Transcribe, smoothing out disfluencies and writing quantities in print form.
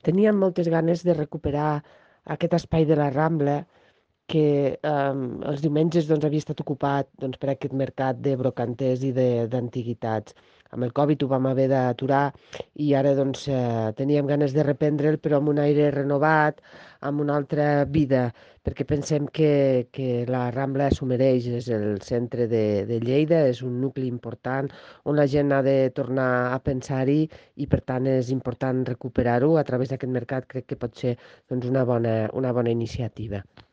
Teníem moltes ganes de recuperar aquest espai de la Rambla que els diumenges doncs, havia estat ocupat doncs, per aquest mercat de brocanters i d'antiguitats. Amb el Covid ho vam haver d'aturar i ara doncs, teníem ganes de reprendre'l, però amb un aire renovat, amb una altra vida, perquè pensem que la Rambla s'ho mereix, és el centre de Lleida, és un nucli important on la gent ha de tornar a pensar-hi i per tant és important recuperar-ho a través d'aquest mercat. Crec que pot ser doncs, una bona iniciativa.